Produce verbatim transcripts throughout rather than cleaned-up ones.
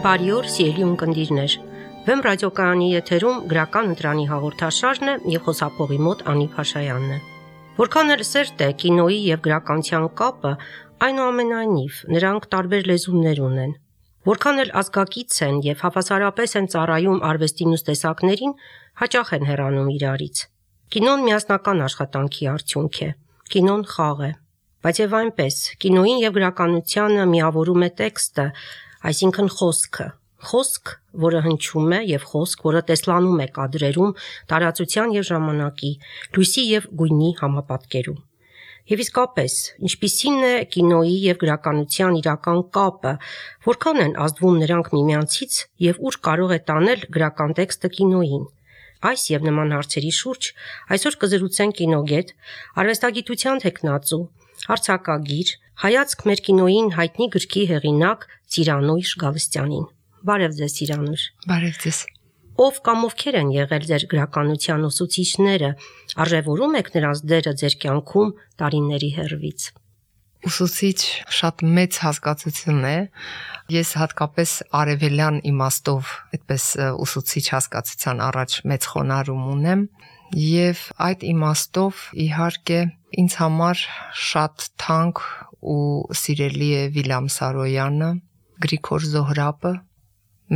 Բարի օր, սիրելի ունկնդիրներ։ Վեմ ռադիոկայանի եթերում գրական ընտրանի հաղորդաշարն է եւ խոսափողի մոտ Անի Փաշայանն է։ Որքան էլ սերտ է կինոյի եւ գրականության կապը, այնուամենայնիվ նրանք տարբեր լեզուներ ունեն։ Որքան էլ ազգակից են եւ հավասարապես են ծառայում արվեստի մյուս տեսակներին, հաճախ են հեռանում իրարից։ Կինոն միասնական աշխատանքի արդյունք է։ Կինոն խաղ է։ Բայց եւ այնպես, կինոյին եւ գրականությանը միավորում է տեքստը, այսինքն խոսքը, խոսք, որը հնչում է եւ խոսք, որը տեսլանում է կադրերում, տարածության եւ ժամանակի, լույսի եւ գույնի համապատկերում։ Եվ իսկապես, ինչպիսին է կինոյի եւ գրականության իրական կապը, որքան են ազդվում նրանք միմյանցից եւ ուր կարող է տանել գրական տեքստը կինոյին։ Այս եւ նման հարցերի շուրջ այսօր կզրուցենք կինոգետ, արվեստագիտության թեկնածու, արձակագիր, հայացք մեր կինոյին հայտնի գրքի հեղինակ Ծիրանույր Գալստյանին։ Բարև ձեզ, Ծիրանույր։ Բարև ձեզ։ Ով կամ ովքեր են եղել ձեր գրականության ուսուցիչները, արժևորում եք նրանց դերը ձեր կյանքում տարիների հեռվից։ Ուսուցիչ շատ մեծ հասկացություն է։ Ես հատկապես արևելյան իմաստով այդպես ուսուցիչ հասկացության առաջ մեծ խոնարհում ունեմ եւ այդ իմաստով իհարկե ինձ համար շատ թանկ ու սիրելի է Վիլյամ Սարոյանը, Գրիգոր Զոհրաբը,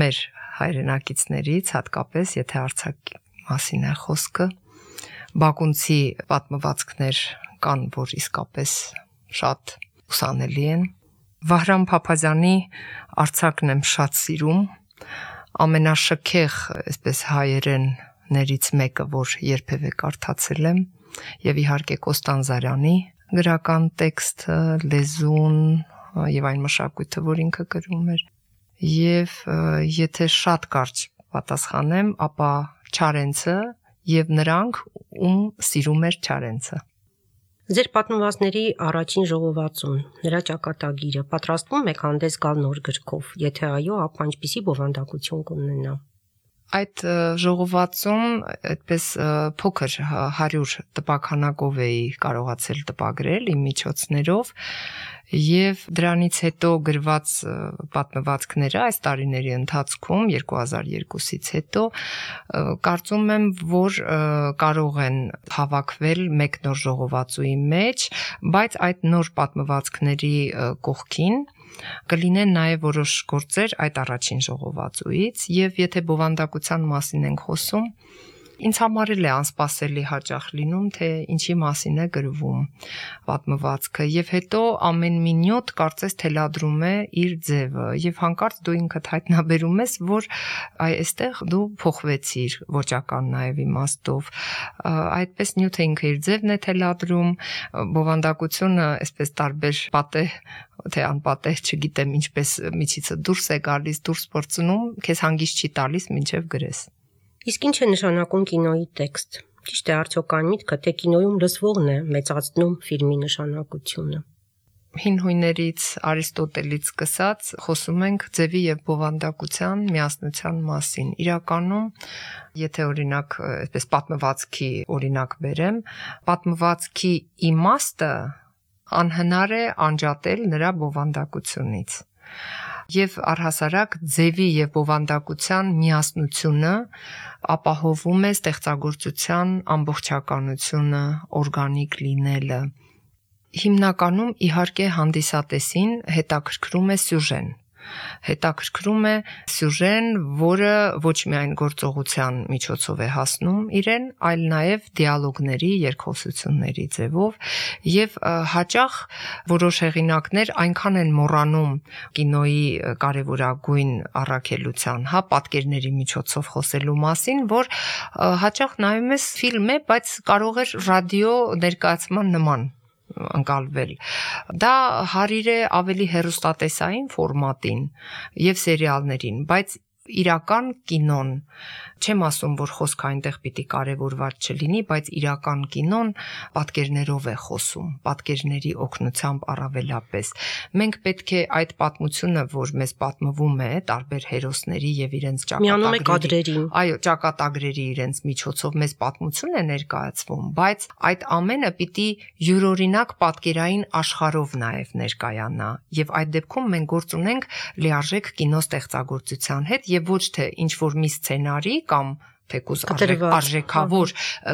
մեր հայրենակիցներից, հատկապես եթե արձակի մասին է խոսքը, բակունցի պատմվածքներ կան, որ իսկապես շատ ուսանելի են։ Վահրամ Փափազյանի արձակն եմ շատ սիրում, ամենաշքեղ, այսպես հայերեններից մեկը, որ երբևէ կարդացել եմ, եւ իհարկե Կոստանդզարյանի գրական տեքստը, լեզուն եւ այն մշակույթը, որ ինքը գրում էր։ Եվ եթե շատ կարճ պատասխանեմ, ապա Չարենցը եւ նրանք, ում սիրում էր Չարենցը։ Ձեր պատմվածքների առաջին ժողովածուն, նրա ճակատագիրը պատրաստվում եք հանդես գալ նոր գրքով, եթե այո, ապա ինչպիսի բովանդակություն կունենա։ Այդ ժողովածուն այդպես փոքր հարյուր տպաքանակով էի կարողացել տպագրել իմ միջոցներով եւ դրանից հետո գրված պատմվածքները այս տարիների ընթացքում երկու հազար երկուսից հետո կարծում եմ, որ կարող են հավաքվել մեկ նոր ժողովածուի մեջ, բայց այդ նոր պատմվածքների կողքին կլինեն նաև որոշ գործեր այդ առաջին ժողովածուից եւ եթե բովանդակության մասին ենք խոսում, ինձ համար էլ է անսպասելի հաճախ լինում, թե ինչի մասին է գրվում պատմվածքը եւ հետո ամեն մի նյութ կարծես թելադրում է իր ձևը եւ հանկարծ դու ինքդ հայտնաբերում ես, որ այստեղ դու փոխվեցիր ոճական նաեւ իմաստով, այդպես նյութը ինքը իր ձևն է թելադրում, բովանդակությունը այսպես տարբեր պատեհ թե անպատեհ, չգիտեմ ինչպես միջիցը դուրս է գալիս, դուրս պրծնում, քեզ հանգիստ չի տալիս մինչև գրես։ Իսկ ինչ է նշանակում կինոյի տեքստ։ Ճիշտ է արդյոք այն միտքը, թե կինոյում լսվողն է մեծացնում ֆիլմի նշանակությունը։ Հին հույներից Արիստոտելից սկսած խոսում ենք ձևի եւ բովանդակության միասնության մասին։ Իրականում, եթե օրինակ այսպես պատմվածքի օրինակ բերեմ, պատմվածքի իմաստը անհնար է անջատել նրա բովանդակությունից։ Եվ առհասարակ ձևի եւ բովանդակության միասնությունը ապահովում է ստեղծագործության ամբողջականությունը, օրգանիկ լինելը։ Հիմնականում իհարկե հանդիսատեսին հետաքրքրում է սյուժեն։ Հետաքրքրում է սյուժեն, որը ոչ միայն գործողության միջոցով է հասնում իրեն, այլ նաև դիալոգների, երկխոսությունների ձևով եւ հաճախ որոշ հեղինակներ այնքան են մոռանում կինոյի կարևորագույն առաքելության, հա, պատկերների միջոցով խոսելու մասին, որ հաճախ նայում ես ֆիլմ է, բայց կարող էր ռադիո ներկայացման նման ընկալվել։ Դա հարիր է ավելի հեռուստատեսային ֆորմատին եւ սերիալներին, բայց իրական կինոն չեմ ասում, որ խոսքը այնտեղ պիտի կարևորված չլինի, բայց իրական կինոն պատկերներով է խոսում, պատկերների օգնությամբ առավելապես։ Մենք պետք է այդ պատմությունը, որ մեզ պատմվում է տարբեր հերոսների եւ իրենց ճակատագրերի, այո, ճակատագրերի իրենց միջոցով մեզ պատմություն է ներկայացվում, բայց այդ ամենը պիտի յուրօրինակ պատկերային աշխարհով նաեւ ներկայանա եւ այդ դեպքում մենք գործ ունենք լիարժեք կինո ստեղծագործության հետ եւ ոչ թե ինչ որ մի սցենարի կամ թեկուզ արժեքավոր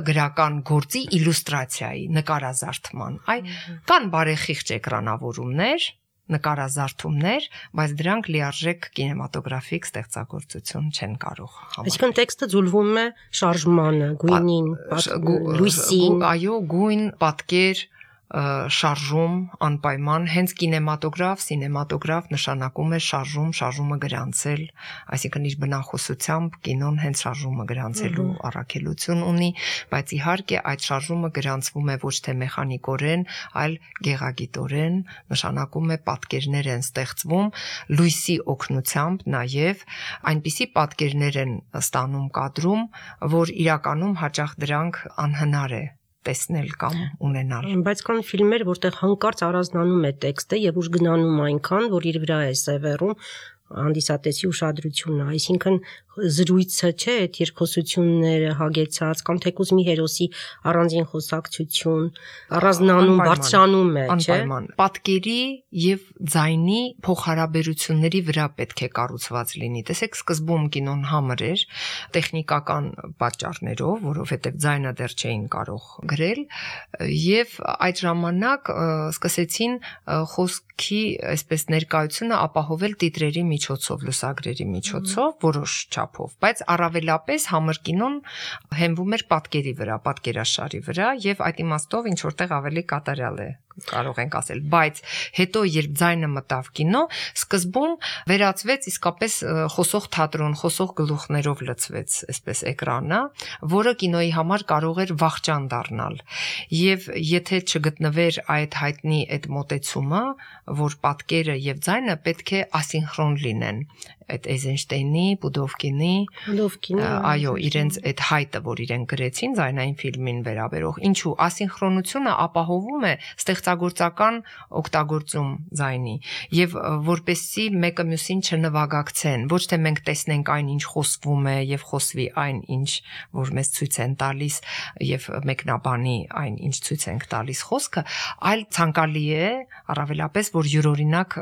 գրական գործի իլյուստրացիայի նկարազարդման։ Այ կան բարեխիղճ էկրանավորումներ, նկարազարդումներ, բայց դրանք լիարժեք կինեմատոգրաֆիկ ստեղծագործություն չեն կարող համարել։ Այսինքն տեքստը ձուլվում է շարժմանը, գույնին, լույսին, այո, գույն, պատկեր, շարժում անպայման հենց կինեմատոգրաֆ, սինեմատոգրաֆ նշանակում է շարժում, շարժումը գրանցել, այսինքն իր բնախոսությամբ կինոն հենց շարժումը գրանցելու առաքելություն ունի, բայց իհարկե այդ շարժումը գրանցվում է ոչ թե մեխանիկորեն, այլ գեղագիտորեն, նշանակում է պատկերներ են ստեղծվում լույսի օգնությամբ, նաև այնպիսի պատկերներ են ստանում կադրում, որ իրականում հաճախ դրանք անհնար է տեսնել կամ ունենալ։ Բայց կան ֆիլմեր, որտեղ հանկարծ առանձնանում է տեքստը եւ ուժ գնանում այնքան, որ իր վրա է սևեռում հանդիսատեսի ուշադրությունը, այսինքն զրույցը չէ, այդ երկխոսությունները հագեցած կամ թեկուզ մի հերոսի առանձին խոսակցություն, առանձնանում, բարձրանում է, չէ։ Պատկերի եւ ձայնի փոխհարաբերությունների վրա պետք է կառուցված լինի։ Տեսեք, սկզբում կինոն համր էր տեխնիկական պատճառներով, որովհետեւ ձայնը դեռ չէին կարող գրել, եւ այդ ժամանակ սկսեցին խոսքի այսպես ներկայությունը ապահովել տիտրերի միջոցով, լուսագրերի միջոցով, որոշ չափով, բայց առավելապես համր կինոն հենվում էր պատկերի վրա, պատկերաշարի վրա եւ այդ իմաստով ինչ որտեղ ավելի կատարյալ է կարող ենք ասել, բայց հետո երբ ձայնը մտավ կինո, սկզբում վերածվեց իսկապես խոսող թատրոն, խոսող գլուխներով լցվեց այսպես էկրանը, որը կինոյի համար կարող էր վախճան դառնալ։ Եվ եթե չգտնվեր այդ հայտնի այդ մոտեցումը, որ պատկերը եւ ձայնը պետք է ասինխրոն լինեն, այդ Էյզենշտեյնի, Պուդովկինի, այո, իրենց այդ հայտը, որ իրենք գրեցին ձայնային ֆիլմին վերաբերող, ինչու ասինխրոնությունը ապահովում է ստեղծագործական օգտագործում ձայնի եւ որպեսզի մեկը մյուսին չնվագակցեն, ոչ թե մենք տեսնենք այն, ինչ խոսվում է եւ խոսվի այն, ինչ որ մեզ ցույց են տալիս եւ մեկնաբանի այն, ինչ ցույց ենք տալիս խոսքը, այլ ցանկալի է առավելապես, որ յուրօրինակ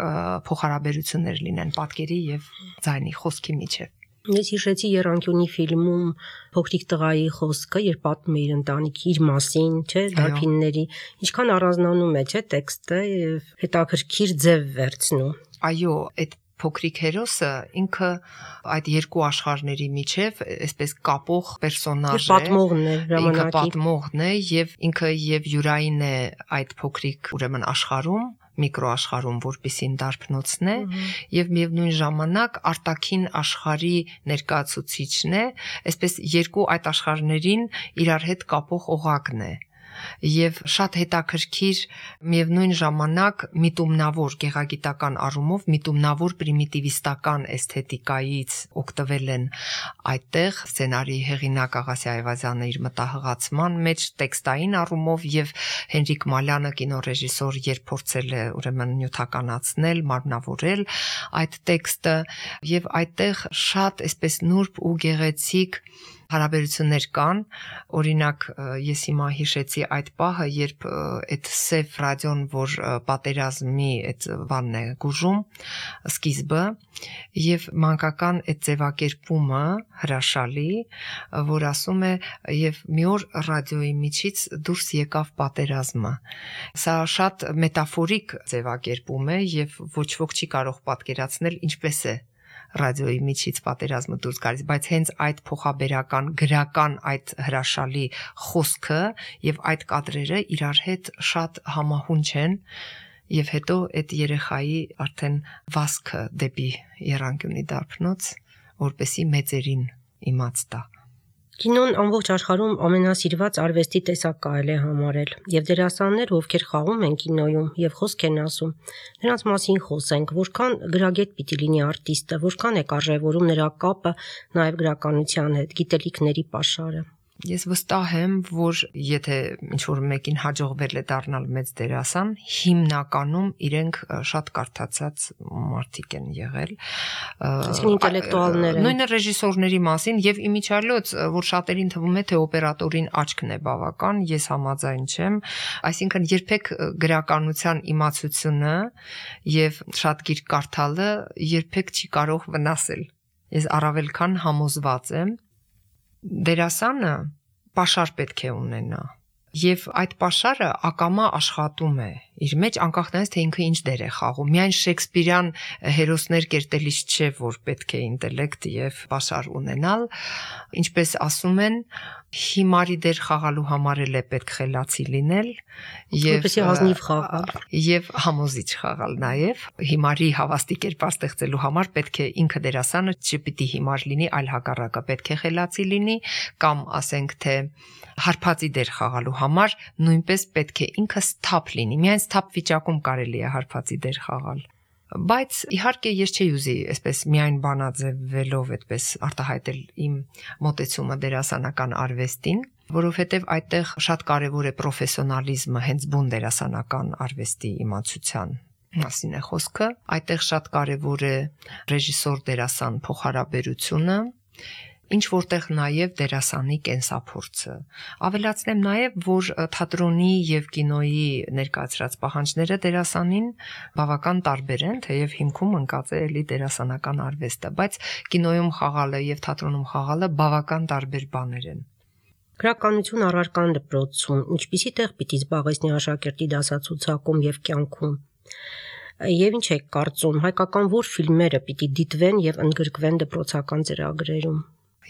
փոխհարաբերություններ լինեն պատկերի եւ ձայնի խոսքի միջև։ Ես հիշեցի Եռանկյունի ֆիլմում փոքրիկ տղայի խոսքը, երբ պատմում է իր ընտանիքի, իր մասին, չէ, դարբինների, ինչքան առանձնանում է, չէ, տեքստը եւ հետաքրքիր ձև վերցնում։ Այո, այդ փոքրիկ հերոսը ինքը այդ երկու աշխարհների միջև այսպես կապող պերսոնաժ է, պատմողն է, ինքը պատմողն է եւ ինքը եւ յուրային է այդ փոքրիկ ուրեմն աշխարհում, միկրոաշխարհում, որպեսին դարբնոցն է եւ միևնույն ժամանակ արտաքին աշխարհի ներկայացուցիչն է, այսպես երկու այդ աշխարհներին իրար հետ կապող օղակն է։ Եվ շատ հետաքրքիր միևնույն ժամանակ միտումնավոր գեղագիտական առումով միտումնավոր պրիմիտիվիստական էսթետիկայից օգտվել են այդտեղ սցենարի հեղինակ Աղասի Այվազյանը իր մտահղացման մեջ տեքստային առումով եւ Հենրիկ Մալյանը կինոռեժիսոր երբ փորձել է ուրեմն նյութականացնել, մարմնավորել այդ տեքստը եւ այդտեղ շատ այսպես նուրբ ու գեղեցիկ հարաբերություններ կան, օրինակ ես հիմա հիշեցի այդ պահը, երբ այդ սև ռադիոն, որ պատերազմի այդ բանն է գուժում, սկիզբը, եւ մանկական այդ ձևակերպումը հրաշալի, որ ասում է եւ մի օր ռադիոյի միջից դուրս եկավ պատերազմը։ Սա շատ մետաֆորիկ ձևակերպում է եւ ոչ ոք չի կարող պատկերացնել ինչպես է ռադիոյի միջից պատերազմը դուրս գալիս, բայց հենց այդ փոխաբերական գրական այդ հրաշալի խոսքը եւ այդ կադրերը իրար հետ շատ համահունչ են եւ հետո այդ երեխայի արդեն վազքը դեպի Եռանկյունի դարբնոց, որպեսի մեծերին իմաց տա։ Կինոն ամբողջ աշխարհում ամենասիրված արվեստի տեսակ կարելի է համարել, եւ դերասաններ, ովքեր խաղում են կինոյում եւ խոսք են ասում, նրանց մասին խոսենք, որքան գրագետ պիտի լինի արտիստը, որքան է կարևորում նրա կապը նաեւ գրականության հետ, գիտելիքների պաշարը։ Ես վստահ եմ, որ եթե ինչ-որ մեկին հաջողվել է դառնալ մեծ դերասան, հիմնականում իրենք շատ կարդացած մարդիկ են եղել։ Այսինքն ինտելեկտուալներ են։ Նույնը ռեժիսորների մասին եւ իմիջիալոց, որ շատերին թվում է, թե օպերատորին աչքն է բավական, ես համաձայն չեմ, այսինքն երբեք գրականության իմացությունը եւ շատ գիրք կարդալը երբեք չի կարող վնասել։ Ես առավել քան համոզված եմ, դերասանը պաշար պետք է ունենա եւ այդ պաշարը ակամա աշխատում է իր մեջ անկախ նրանից թե ինքը ինչ դեր է խաղում միայն շեքսպիրյան հերոսներ կերտելիս չէ որ պետք է ինտելեկտ եւ պաշար ունենալ ինչպես ասում են հիմարի դեր խաղալու համար էլ է պետք խելացի լինել եւ ազնիվ խաղալ եւ համոզիչ խաղալ նաեւ հիմարի հավաստի կերպար ստեղծելու համար պետք է ինքը դերասանը չպիտի հիմար լինի այլ հակառակը պետք է խելացի լինի կամ ասենք թե հարբածի դեր խաղալու համար նույնպես պետք է ինքը սթափ լինի միայն սթափ վիճակում կարելի է հարբածի դեր խաղալ բայց իհարկե ես չի ուզի այսպես միայն բանաձևելով այդպես արտահայտել իմ մոտեցումը դերասանական արվեստին որովհետև այդտեղ շատ կարևոր է պրոֆեսիոնալիզմը հենց բուն դերասանական արվեստի իմացության մասին է խոսքը այդտեղ շատ կարևոր է ռեժիսոր դերասան փոխհարաբերությունը ինչ որտեղ նաև դերասանի կենսափորձը ավելացնեմ նաև որ թատրոնի եւ կինոյի ներկայացրած պահանջները դերասանին բավական տարբեր են թեև հիմքում ընկած է էլի դերասանական արվեստը բայց կինոյում խաղալը եւ թատրոնում խաղալը բավական տարբեր բաներ են Գրականություն առարկան դպրոցում ինչպիսի տեղ պիտի զբաղեցնի աշակերտի դասացուցակում եւ կյանքում Եվ ինչ եք կարծում հայկական որ ֆիլմերը պիտի դիտվեն եւ ընդգրկվեն դպրոցական ծրագրերում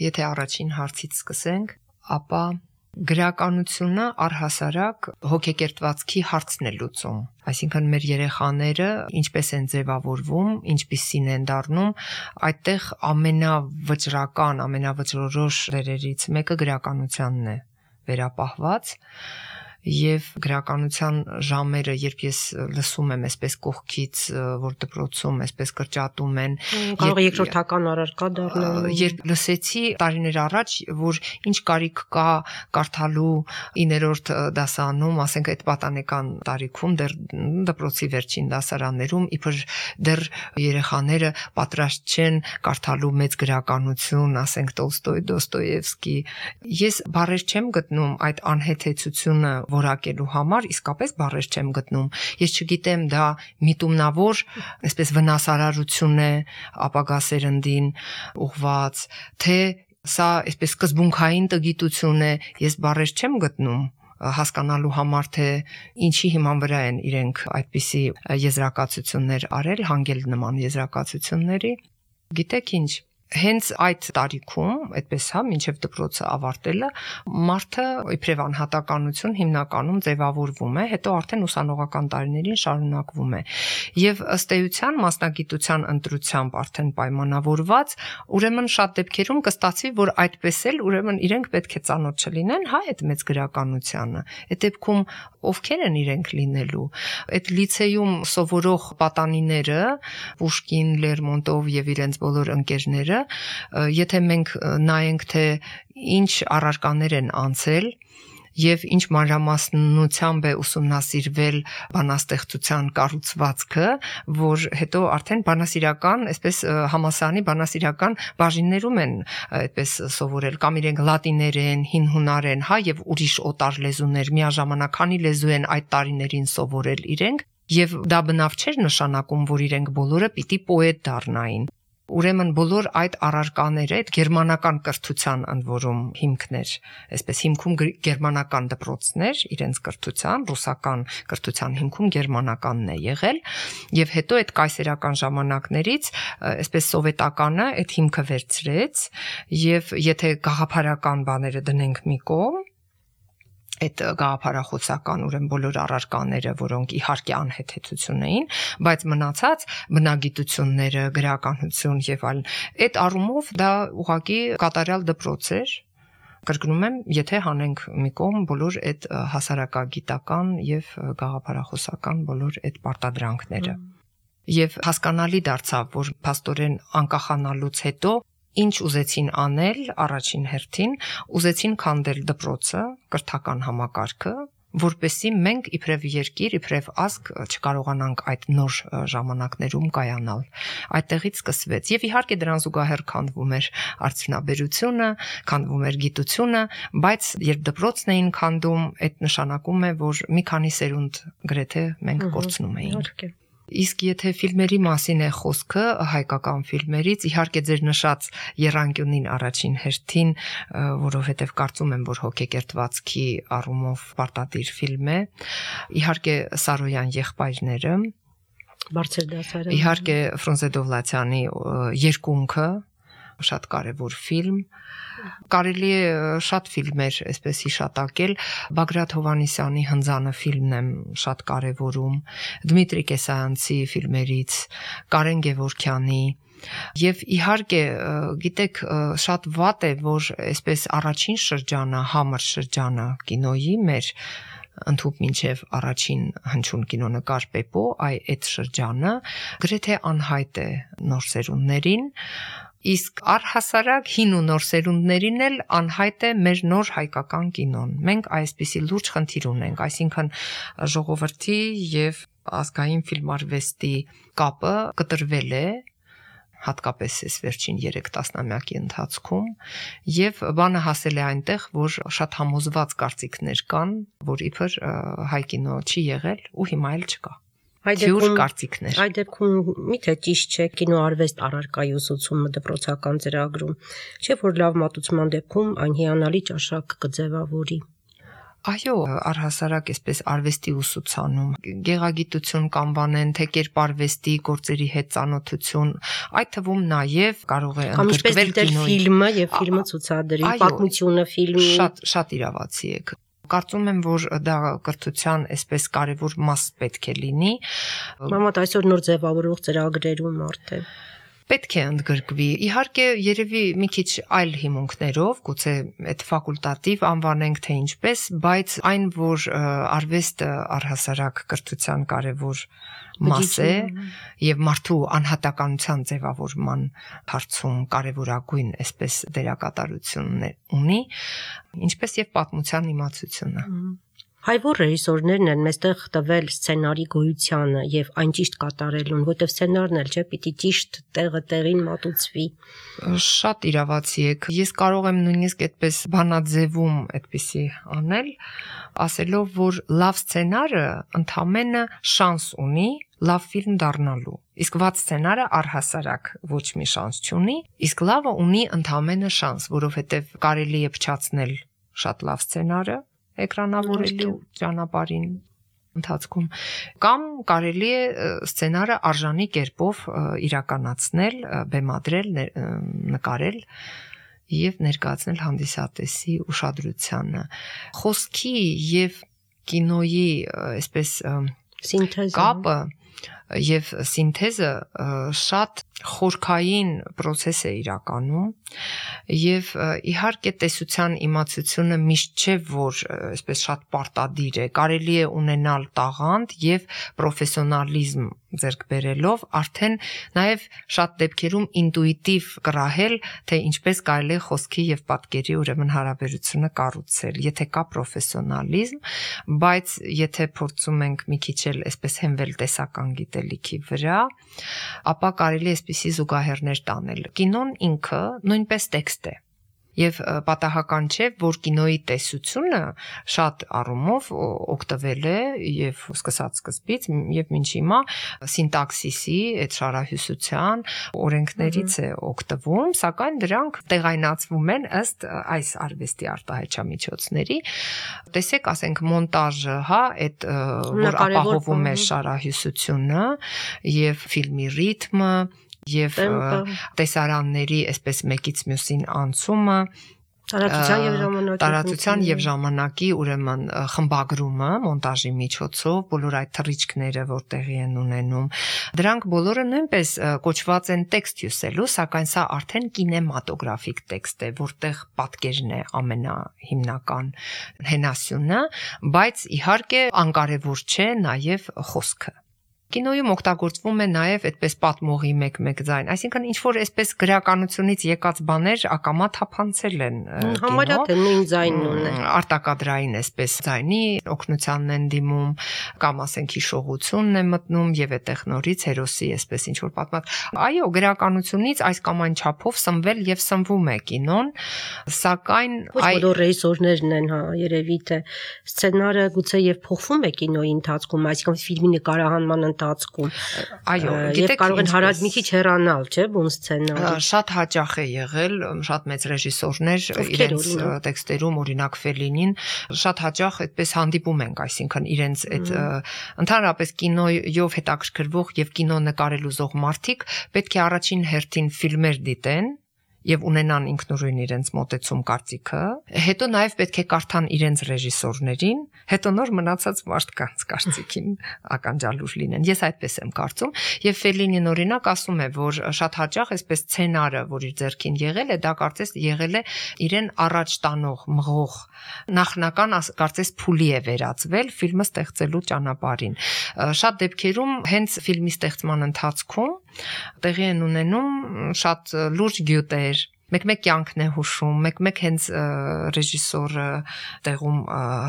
Եթե առաջին հարցից սկսենք, ապա գրականությունը առհասարակ հոգեկերտվածքի հարցն է լուծում։ Այսինքն մեր երեխաները ինչպես են ձևավորվում, ինչպիսին են դառնում, այդտեղ ամենավճռական, ամենավճռորոշ դերերից մեկը գրականությանն է վերապահված։ Եվ գրականության ժամերը, երբ ես լսում եմ այսպես կողքից, որ դպրոցում այսպես կրճատում են, կարող երկրորդական առարկա դառնալ։ Երբ լսեցի տարիներ առաջ, որ ինչ կարիք կա կարդալու իններորդ դասարանում, ասենք այդ պատանեկան տարիքում, դեռ դպրոցի վերջին դասարաններում, իբր դեռ երեխաները պատրաստ չեն կարդալու մեծ գրականություն, ասենք Տոլստոյ, Դոստոևսկի։ Ես բառեր չեմ գտնում այդ անհեթեթությունը որակելու համար իսկապես բառեր չեմ գտնում։ Ես չգիտեմ դա միտումնավոր, այսպես վնասարարություն է ապագա սերնդին ուղված, թե սա այսպես սկզբունքային տգիտություն է, ես բառեր չեմ գտնում հասկանալու համար թե ինչի հիման վրա են իրենք այդպիսի եզրակացություններ արել, հանգել նման եզրակացությունների։ Գիտեք ինչ Հենց այդ տարիքում, այդպես հա, մինչև դպրոցը ավարտելը, մարդը իբրև անհատականություն հիմնականում ձևավորվում է, հետո արդեն ուսանողական տարիներին շարունակվում է։ Եվ ըստ էության մասնագիտության ընտրությամբ արդեն պայմանավորված, ուրեմն շատ դեպքերում կստացվի, որ այդպես էլ ուրեմն իրենք պետք է ծանոթ չլինեն, հա, այդ մեծ գրականությանը։ Այդ դեպքում ովքեր են իրենք լինելու։ Այդ լիցեյում սովորող պատանիները, Պուշկին, Լերմոնտով եւ իրենց բոլոր ընկերները Եթե մենք նայենք թե ինչ առարկաներ են անցել եւ ինչ մանրամասնությամբ է ուսումնասիրվել բանաստեղծության կառուցվածքը, որ հետո արդեն բանասիրական, այսպես համասարանի բանասիրական բաժիններում են այդպես սովորել կամ իրենք լատիներեն, հին հունարեն, հա եւ ուրիշ օտար լեզուներ միաժամանակ քանի լեզու են այդ տարիներին սովորել իրենք եւ դա բնավ չէր նշանակում, որ իրենք բոլորը պիտի պոետ դառնային Ուրեմն բոլոր այդ առարկաները, այդ գերմանական կրթության ընդ որում հիմքներ, այսպես հիմքում գերմանական դպրոցներ, իրենց կրթության, ռուսական կրթության հիմքում գերմանականն է եղել, եւ հետո այդ կայսերական ժամանակներից, այսպես սովետականը այդ հիմքը վերցրեց, եւ եթե գաղափարական բաները դնենք մի կողմ, այդ գաղափարախոսական ուրեմն բոլոր առարկաները, որոնք իհարկե անհեթեթություն էին, բայց մնացած բնագիտությունները, գրականություն եւ այլն, այդ առումով դա ուղղակի կատարյալ դպրոց էր, կրկնում եմ, եթե հանենք մի կողմ բոլոր այդ հասարակագիտական եւ գաղափարախոսական բոլոր այդ պարտադրանքները։ Եվ հասկանալի դարձավ, որ փաստորեն անկախանալուց հետո ինչ ուզեցին անել առաջին հերթին, ուզեցին քանդել դպրոցը, կրթական համակարգը, որպեսզի մենք իբրև երկիր, իբրև ազգ չկարողանանք այդ նոր ժամանակներում կայանալ։ Այդտեղից սկսվեց եւ իհարկե դրան զուգահեռ քանդվում էր արդյունաբերությունը, քանդվում էր գիտությունը, բայց երբ դպրոցն էին քանդում, այդ նշանակում է, որ մի քանի սերունդ գրեթե մենք կորցնում էինք։ Իսկ եթե ֆիլմերի մասին է խոսքը, հայկական ֆիլմերից, իհարկե ձեր նշած Եռանկյունին առաջին հերթին, որովհետև կարծում եմ, որ հոգեկերտվածքի առումով պարտադիր ֆիլմ է, իհարկե Սարոյան եղբայրները, Բարձր դասարանը, իհարկե Ֆրունզե Դովլաթյանի Երկունքը, շատ կարևոր ֆիլմ, կարելի է շատ ֆիլմեր այսպես հիշատակել, Բագրատ Հովհաննիսյանի Հնձանը ֆիլմն եմ շատ կարևորում, Դմիտրի Կեսայանցի ֆիլմերից, Կարեն Գևորգյանի, եւ իհարկե գիտեք շատ վատ է, որ այսպես առաջին շրջանը, համր շրջանը կինոյի մեր ընդհուպ մինչև առաջին հնչյուն կինոնկար Պեպո, այ այդ շրջանը գրեթե անհայտ է նոր սերունդներին, իսկ առհասարակ հին ու նոր սերունդներին էլ անհայտ է մեր նոր հայկական կինոն։ Մենք այսպիսի լուրջ խնդիր ունենք, այսինքն ժողովրդի եւ ազգային ֆիլմարվեստի կապը կտրվել է, հատկապես այս վերջին երեք տասնամյակի ընթացքում, եւ բանը հասել է այնտեղ, որ շատ համոզված կարծիքներ կան, որ իբր հայ կինո չի եղել ու հիմա էլ չկա։ Թյուր կարծիքներ։ Այդ դեպքում միթե ճիշտ չէ կինոարվեստ առարկայի ուսուցումը դպրոցական ծրագրում, չէ՞ որ լավ մատուցման դեպքում այն հիանալի ճաշակ կձևավորի։ Այո, առհասարակ այսպես արվեստի ուսուցանում, գեղագիտություն կանվանեն, թե կերպարվեստի գործերի հետ ծանոթություն, այդ թվում նաև կարող է ընդգրկվել կինոյի ֆիլմը եւ ֆիլմը ցուցադրի, պատմությունը ֆիլմի։ Շատ շատ իրավացի եք։ Կարծում եմ, որ դա կրթության այսպես կարևոր մաս պետք է լինի։ Մամատ այսօր նոր ձևավորող ծրագրերում արդե պետք է ընդգրկվի։ Իհարկե, երևի մի քիչ այլ հիմունքներով, գուցե այդ ֆակուլտատիվ անվանենք թե ինչպես, բայց այն, որ արվեստը առհասարակ կրթության կարևոր մաս է եւ մարդու անհատականության ձևավորման հարցում կարևորագույն այսպես դերակատարություն ունի, ինչպես եւ պատմության իմացությունը։ Հայ-որ ռեժիսորներն են մեստեղ տվել սցենարի գոյությանը եւ այն ճիշտ կատարելուն, որտեվ սցենարն էլ չէ, պիտի ճիշտ տեղը տեղին մատուցվի։ Շատ իրավացի եք։ Ես կարող եմ նույնիսկ այդպես բանաձևում այդպիսի անել, ասելով, որ լավ սցենարը ընդամենը շանս ունի լավ ֆիլմ դառնալու։ Իսկ վատ սցենարը առհասարակ ոչ մի շանս չունի, իսկ լավը ունի ընդամենը շանս, որովհետեւ կարելի է փչացնել շատ լավ սցենարը էկրանավորելու ճանապարհին ընթացքում կամ կարելի է սցենարը արժանի կերպով իրականացնել, բեմադրել, նկարել եւ ներկայացնել հանդիսատեսի ուշադրությանը։ Խոսքի եւ կինոյի այսպես սինթեզը կապը եւ սինթեզը շատ խորքային process է իրականում եւ իհարկե տեսության իմացությունը միշտ չէ որ այսպես շատ պարտադիր է, կարելի է ունենալ տաղանդ եւ պրոֆեսիոնալիզմ ձեռք բերելով արդեն նաեւ շատ դեպքերում ինտուիտիվ կրահել, թե ինչպես կարելի է խոսքի եւ պատկերի ուրեմն հարաբերությունը կառուցել, եթե կա պրոֆեսիոնալիզմ, բայց եթե փորձում ենք մի քիչ էլ այսպես հենվել տեսական գիտելիքի վրա, ապա կարելի է այսպիսի զուգահեռներ տանել։ Կինոն ինքը նույնպես տեքստ է։ Եվ պատահական չէ, որ կինոյի տեսությունը շատ առումով օգտվել է եւ սկսած սկզբից եւ մինչ հիմա սինտաքսիսի, այդ շարահյուսության օրենքներից է օգտվում, սակայն դրանք տեղայնացվում են ըստ այս արվեստի արտահայտչամիջոցների։ Տեսեք, ասենք մոնտաժը, հա, այդ որ ապահովում է շարահյուսությունը եւ ֆիլմի ռիթմը եւ տեսարանների այսպես մեկից մյուսին անցումը, Տարածության եւ ժամանակի տարածության եւ ժամանակի ուրեմն խմբագրումը մոնտաժի միջոցով բոլոր այդ թռիչքները որ տեղի են ունենում դրանք բոլորը նույնպես կոչված են տեքստ հյուսելու սակայն սա արդեն կինեմատոգրաֆիկ տեքստ է որտեղ պատկերն է ամենահիմնական հենասյունը բայց իհարկե անկարևոր չէ նաեւ խոսքը Կինոյում օգտագործվում է նաև այդպես պատմողի մեկ-մեկ ձայն, այսինքն ինչ որ այսպես գրականությունից եկած բաներ ակամա թափանցել են համարյա թե նույն ձայնն ունեն արտակադրային այսպես ձայնի օգնությանն են դիմում կամ ասենք հիշողությունն է մտնում եւ այդտեղ նորից հերոսի այսպես ինչ որ պատմած այո գրականությունից այս կամ այն չափով սնվել եւ սնվում է կինոն սակայն այ բոլոր ռեժիսորներն են հա երևի թե սցենարը գուցե եւ փոխվում է կինոյի ընթացքում այսինքն ֆիլմի նկարահանման ընթացքում այո գիտեք կարող են հարած մի քիչ հեռանալ չէ բուն սցենարը շատ հաճախ է եղել շատ մեծ ռեժիսորներ իրենց տեքստերում օրինակ Ֆելինին շատ հաճախ այդպես հանդիպում ենք այսինքն իրենց այդ ընդհանրապես կինոյով հետաքրքրվող եւ կինո նկարել ուզող մարդիկ պետք է առաջին հերթին ֆիլմեր դիտեն եւ ունենան ինքնուրույն իրենց մոտեցում կարծիքը հետո նաեւ պետք է կարդան իրենց ռեժիսորներին հետո նոր մնացած մարդկանց կարծիքին ականջալուր լինեն ես այդպես եմ կարծում եւ Ֆելինին օրինակ ասում է որ շատ հաճախ այսպես սցենարը որ իր ձեռքին եղել է դա կարծես եղել է իրեն առաջ տանող մղող նախնական կարծես փուլի է վերածվել ֆիլմը ստեղծելու ճանապարհին շատ դեպքերում հենց ֆիլմի ստեղծման ընթացքում տեղի են ունենում շատ լուրջ գյուտեր մեկ-մեկ կյանքն է հուշում, մեկ-մեկ հենց ռեժիսորը տեղում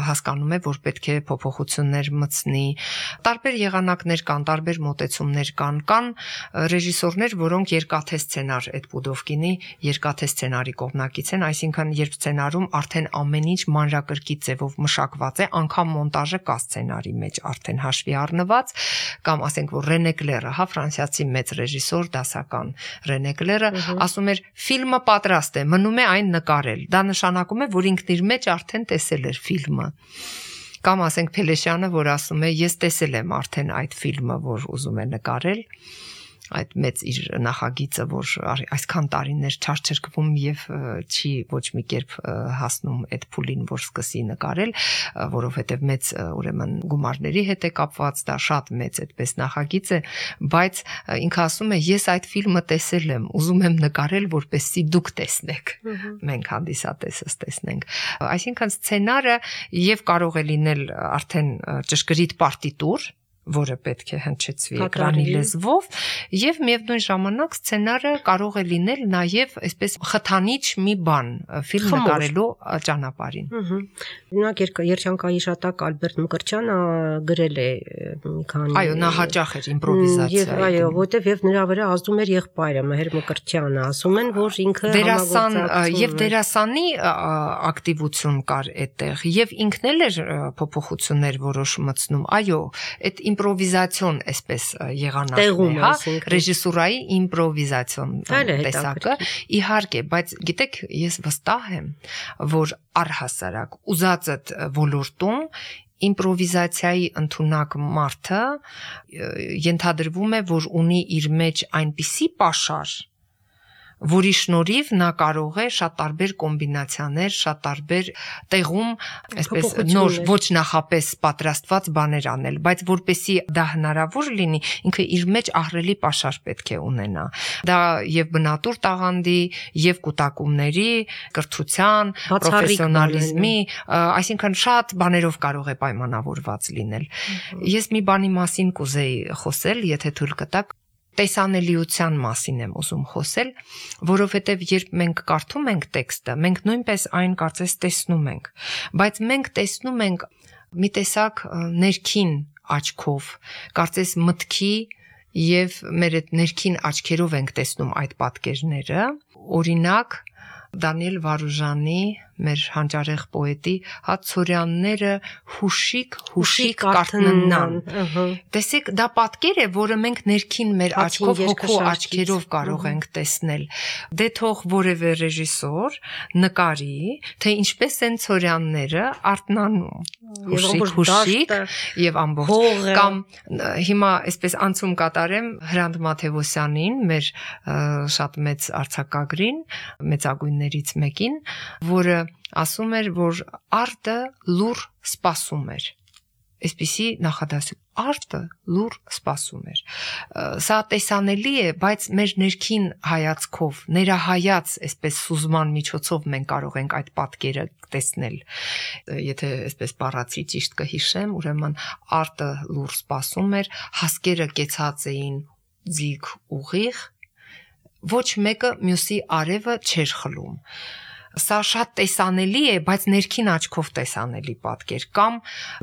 հասկանում է, որ պետք է փոփոխություններ մտցնի։ Տարբեր եղանակներ կան, տարբեր մոտեցումներ կան, կան ռեժիսորներ, որոնք երկաթե սցենար այդ Պուդովկինի երկաթե սցենարի կողմնակից են, այսինքն երբ սցենարում արդեն ամեն ինչ մանրակրկիտ ձևով մշակված է, անգամ մոնտաժը կա սցենարի մեջ արդեն հաշվի առնված, կամ ասենք որ Ռենե Կլերը, հա, ֆրանսիացի մեծ ռեժիսոր, դասական Ռենե Կլերը ասում էր ֆիլմը պատրաստ է, մնում է այն նկարել։ Դա նշանակում է, որ ինքն իր մեջ արդեն տեսել էր ֆիլմը։ Կամ ասենք Փելեշյանը, որ ասում է, ես տեսել եմ արդեն այդ ֆիլմը, որ ուզում է նկարել, այդ մեծ իր նախագիծը, որ այսքան տարիներ չարչրկվում եւ չի ոչ մի կերպ հասնում այդ փուլին, որ սկսի նկարել, որովհետեւ մեծ ուրեմն գումարների հետ է կապված, դա շատ մեծ այդպես նախագիծ է, բայց ինքը ասում է, ես այդ ֆիլմը տեսել եմ, ուզում եմ նկարել, որպեսզի դուք տեսնեք, մենք հանդիսատեսս տեսնենք։ Այսինքն սցենարը եւ կարող է լինել արդեն ճշգրիտ պարտիտուր, որը պետք է հնչեցվի էկրանի լեզվով եւ միևնույն ժամանակ սցենարը կարող է լինել նաեւ այսպես խթանիչ մի բան ֆիլմ նկարելու ճանապարհին։ Օրինակ երջանկայի շատակ Ալբերտ Մկրտչյանը գրել է մի քանի Այո, նա հաճախ էր իմպրովիզացիա։ Այո, որտեվ եւ նրա վրա ազդում էր եղբայրը Մհեր Մկրտչյանը, ասում են, որ ինքը դերասան եւ դերասանի ակտիվություն կար այդտեղ եւ ինքն էլ էր փոփոխություններ որոշ մտցնում։ Այո, այդ իմպրովիզացիոն այսպես եղանակն է, հա, ռեժիսուրայի իմպրովիզացիոն տեսակը, իհարկե, բայց գիտեք, ես վստահ եմ, որ առհասարակ ուզածդ ոլորտում իմպրովիզացիայի ընդունակ մարդը ենթադրվում է, որ ունի իր մեջ այնպիսի պաշար, որի շնորհիվ նա կարող է շատ տարբեր կոմբինացիաներ, շատ տարբեր տեղում, այսպես նոր ոչ նախապես պատրաստված բաներ անել, բայց որպեսի դա հնարավոր լինի, ինքը իր մեջ ահռելի պաշար պետք է ունենա։ Դա եւ բնատուր տաղանդի, եւ կուտակումների, կրթության, պրոֆեսիոնալիզմի, այսինքն շատ բաներով կարող է պայմանավորված լինել։ Ես մի բանի մասին կուզեի խոսել, եթե թույլ կտաք։ Տեսանելիության մասին եմ ուզում խոսել, որովհետև երբ մենք կարդում ենք տեքստը, մենք նույնպես այն կարծես տեսնում ենք, բայց մենք տեսնում ենք մի տեսակ ներքին աչքով, կարծես մտքի եւ մեր այդ ներքին աչքերով ենք տեսնում այդ պատկերները, օրինակ Դանիել Վարուժանի, մեր հանճարեղ պոետի հացորյանները հուշիկ, հուշիկ կարթննան։ Տեսեք, դա պատկեր է, որը մենք ներքին մեր աչքով, հոգու աչքերով կարող ենք տեսնել։ Դե թող որևէ ռեժիսոր նկարի, թե ինչպես են ցորյանները արթնանում։ Հուշիկ, հուշիկ եւ ամբողջ կամ հիմա այսպես անցում կատարեմ Հրանտ Մաթեոսյանին, մեր շատ մեծ արձակագրին, մեծագույն գրականներից մեկին, որը ասում էր, որ արտը լուր սպասում էր։ Այսպիսի նախադասություն արտը լուր սպասում էր։ Սա տեսանելի է, բայց մեր ներքին հայացքով, ներահայաց, այսպես սուզման միջոցով մենք կարող ենք այդ պատկերը տեսնել։ Եթե այսպես բառացի ճիշտ կհիշեմ, ուրեմն արտը լուր սպասում էր, հասկերը կեցած էին ձիգ ուղիղ, ոչ մեկը մյուսի արևը չէր խլում։ Սա շատ տեսանելի է, բայց ներքին աչքով տեսանելի պատկեր կամ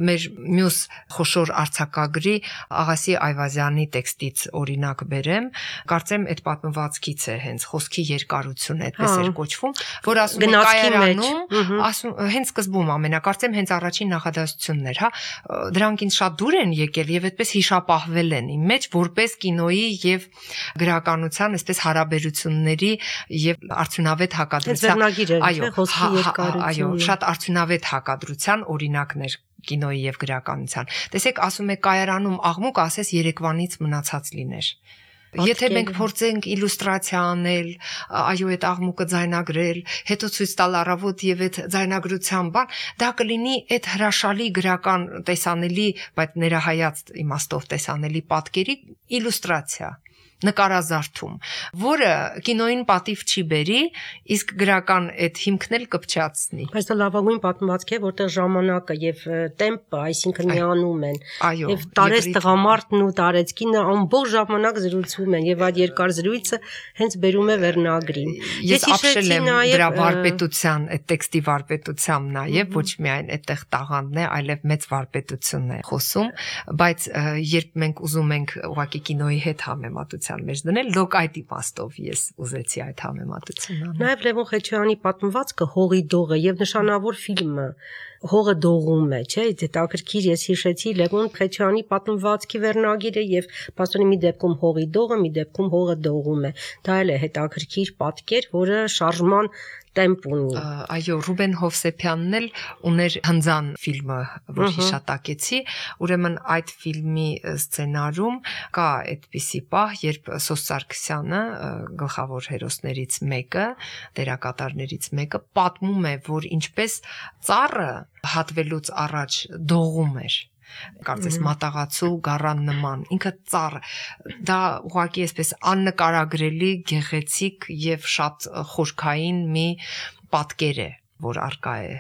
մեր մյուս խոշոր արձակագրի Աղասի Այվազյանի տեքստից օրինակ բերեմ, կարծեմ այդ պատմվածքից է հենց խոսքի երկարությունը այդպես էր կոչվում, որ ասում է կայարանում, ասում հենց սկզբում ամենակարծեմ հենց առաջին նախադասությունն էր, հա, դրանք ինձ շատ դուր են եկել եւ այդպես հիշապահվել են իմ մեջ որպես կինոյի եւ գրականության այսպես հարաբերությունների եւ արդյունավետ հակադրության Այո, այո, շատ արդյունավետ հակադրության օրինակներ կինոյի եւ գրականության։ Տեսեք, ասում է կայարանում աղմուկ, ասես երեկվանից մնացած լիներ։ Եթե մենք փորձենք իլյուստրացիա անել, այո, այդ աղմուկը ձայնագրել, հետո ցույց տալ առավոտ եւ այդ ձայնագրության բան, դա կլինի այդ հրաշալի գրական տեսանելի, բայց ներահայաց իմաստով տեսանելի պատկերի իլյուստրացիա։ Նկարազարդում, որը կինոյին պատիվ չի բերի, իսկ գրական այդ հիմքն էլ կպչացնի։ Բայց դա լավագույն պատմվածք է, որտեղ ժամանակը եւ տեմպը, այսինքն միանում են։ Եվ տարեց տղամարդն ու տարեց կինը ամբողջ ժամանակ զրուցում են եւ այդ երկար զրույցը հենց բերում է վերնագրին։ Ես ապշել եմ դրա վարպետության, այդ տեքստի վարպետությամբ նաեւ ոչ միայն այդտեղ տաղանդն է, այլև մեծ վարպետությունն է խոսում, բայց երբ մենք ուզում ենք ուղղակի կինոյի հետ համեմատության մեջ դնել, լոկ այդ իմաստով ես ուզեցի այդ համեմատությունը անել։ Նաև Լևոն Խեչյանի պատմվածքը Հողի դողը եւ նշանավոր ֆիլմը Հողը դողում է, չէ՞, հետաքրքիր ես հիշեցի Լևոն Խեչյանի պատմվածքի վերնագիրը եւ պաստորի մի դեպքում Հողի դողը, մի դեպքում Հողը դողում է։ Դա էլ է հետաքրքիր պատկեր, որը շարժման տեմպ ունի։ Այո, Ռուբեն Հովսեփյանն էլ ուներ Հնձան ֆիլմը, որ հիշատակեցի, ուրեմն այդ ֆիլմի սցենարում կա այդպիսի պահ, երբ Սոս Սարգսյանը, գլխավոր հերոսներից մեկը, դերակատարներից մեկը պատմում է, որ ինչպես ծառը հատվելուց առաջ դողում էր կարծես մատաղացու գառան նման ինքը ծառ դա ուղղակի այսպես աննկարագրելի գեղեցիկ եւ շատ խորքային մի պատկեր է որ արկա է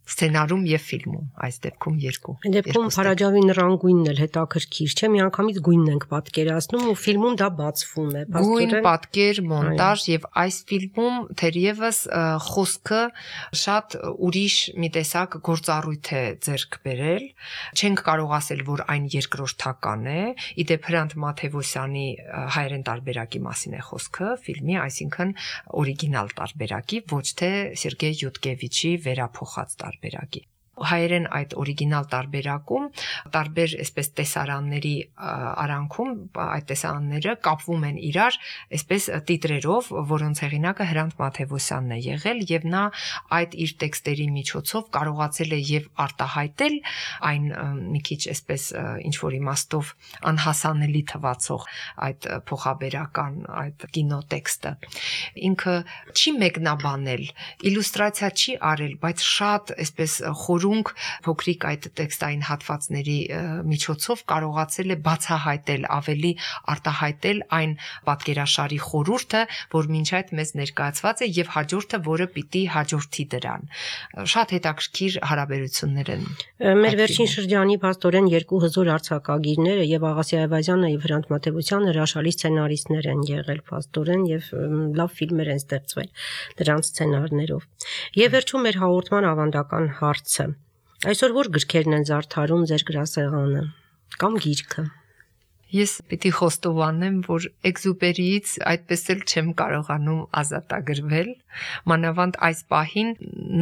սցենարում եւ ֆիլմում այս դեպքում երկու Այդ դեպքում Փարաջավի նռանգույնն էլ հետաքրքիր չէ միանգամից գույնն ենք պատկերացնում ու ֆիլմում դա բացվում է գույն պատկեր մոնտաժ եւ այս ֆիլմում թերևս խոսքը շատ ուրիշ մի տեսակ գործառույթ է ձեռք բերել չենք կարող ասել որ այն երկրորդական է իդեպ Հրանտ Մաթեւոսյանի հայերեն տարբերակի մասին է խոսքը ֆիլմի այսինքն օրիգինալ տարբերակի ոչ թե Սերգեյ Յուտկևիչի վերափոխած տարբերակի հայերեն այդ օրիգինալ տարբերակում տարբեր այսպես տեսարանների արանքում այդ տեսարանները կապվում են իրար այսպես տիտրերով որոնց հեղինակը Հրանտ Մաթեւոսյանն է եղել եւ նա այդ իր տեքստերի միջոցով կարողացել է եւ արտահայտել այն մի քիչ այսպես ինչ որ իմաստով անհասանելի թվացող այդ փոխաբերական այդ կինոտեքստը ինքը չի մեկնաբանել իլյուստրացիա չի արել բայց շատ այսպես խորունկ փոքրիկ այդ տեքստային հատվածների միջոցով կարողացել է բացահայտել ավելի արտահայտել այն պատկերաշարի խորհուրդը, որ մինչ այդ մեզ ներկայացված է եւ հաջորդը, որը պիտի հաջորդի դրան։ Շատ հետաքրքիր հարաբերություններ են։ Մեր վերջին շրջանի փաստորեն երկու հզոր արձակագիրները եւ Աղասի Այվազյանը եւ Հրանտ Մաթեւոսյանը հրաշալի սցենարիստներ են եղել փաստորեն եւ լավ ֆիլմեր են ստեղծվել դրանց սցենարներով։ Եվ վերջում մեր հաղորդման ավանդական հարցը Այսօր որ գրքերն են զարդարում ձեր գրասեղանը կամ գիրքը Ես պիտի խոստովանեմ, որ Էքզուպերիից այդպես էլ չեմ կարողանում ազատագրվել, մանավանդ այս պահին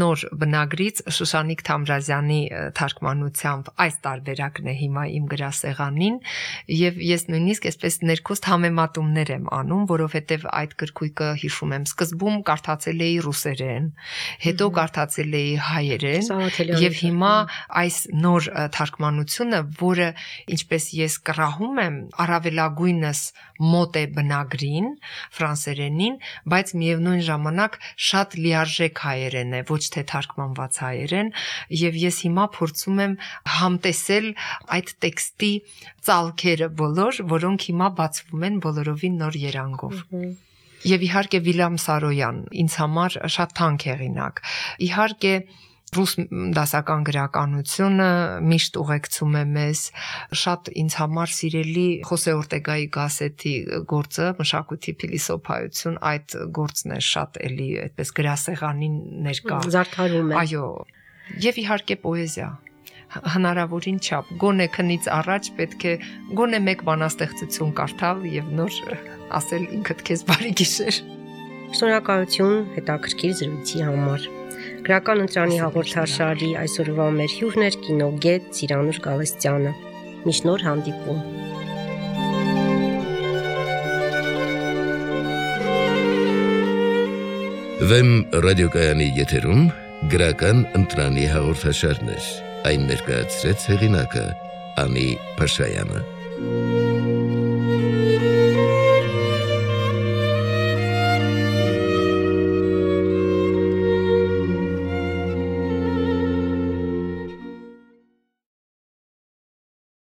նոր բնագրից Շուշանիկ Թամրազյանի թարգմանությամբ այս տարբերակն է հիմա իմ գրասեղանին եւ ես նույնիսկ այսպես ներքուստ համեմատումներ եմ անում, որովհետեւ այդ գրքույկը հիշում եմ սկզբում կարդացել էի ռուսերեն, հետո կարդացել էի հայերեն եւ հիմա այս նոր թարգմանությունը, որը ինչպես ես կռահում եմ առավելագույնս մոտ է բնագրին, ֆրանսերենին, բայց միևնույն ժամանակ շատ լիարժեք հայերեն է, ոչ թե թարգմանված հայերեն, եւ ես հիմա փորձում եմ համտեսել այդ տեքստի ծալքերը բոլոր, որոնք հիմա բացվում են բոլորովին նոր երանգով։ Եվ իհարկե Վիլյամ Սարոյան, ինձ համար շատ թանկ հեղինակ։ Իհարկե ռուս դասական գրականությունը միշտ ուղեկցում է մեզ, շատ ինձ համար սիրելի Խոսե Օրտեգայի Գասետի գործը, մշակույթի փիլիսոփայություն, այդ գործն է շատ էլի այդպես գրասեղանին ներկա։ Զարդարում է։ Այո, եւ իհարկե պոեզիա։ Հնարավորին չափ, գոնե քնից առաջ պետք է գոնե մեկ բանաստեղծություն կարդալ եւ նոր ասել ինքդ քեզ բարի գիշեր։ Շնորհակալություն հետաքրքիր զրույցի համար։ Գրական ընտրանի հաղորդաշարի այսօրվա մեր հյուրն էր կինոգետ Ծիրանուշ Գալստյանը։ Միշտ նոր հանդիպում։ Վեմ ռադիոկայանի եթերում գրական ընտրանի հաղորդաշարներ։ Այն ներկայացրեց հեղինակը Անի Փաշայանը։